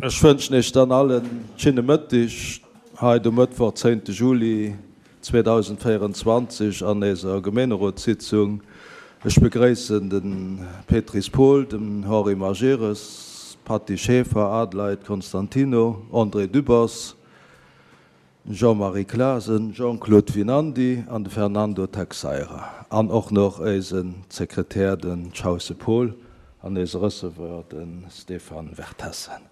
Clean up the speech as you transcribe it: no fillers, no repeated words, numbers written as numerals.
Ech wënschen Iech dann all en schinne Mëttig hei de Mëttwoch, 10 Juli 2024 an éiser Gemeenerotssitzung. Ech begréissen de Pétris Paul, den Henri Majerus, d'Patty Schaeffer, Adelheid Constantino, André Dübbers, Jean-Marie Clasen, Jean-Claude Winandy an de Fernando Texeira an och noch éisen Sekretär, den Chausse Paul, an éise Receveur, de Stéphane Vertessen.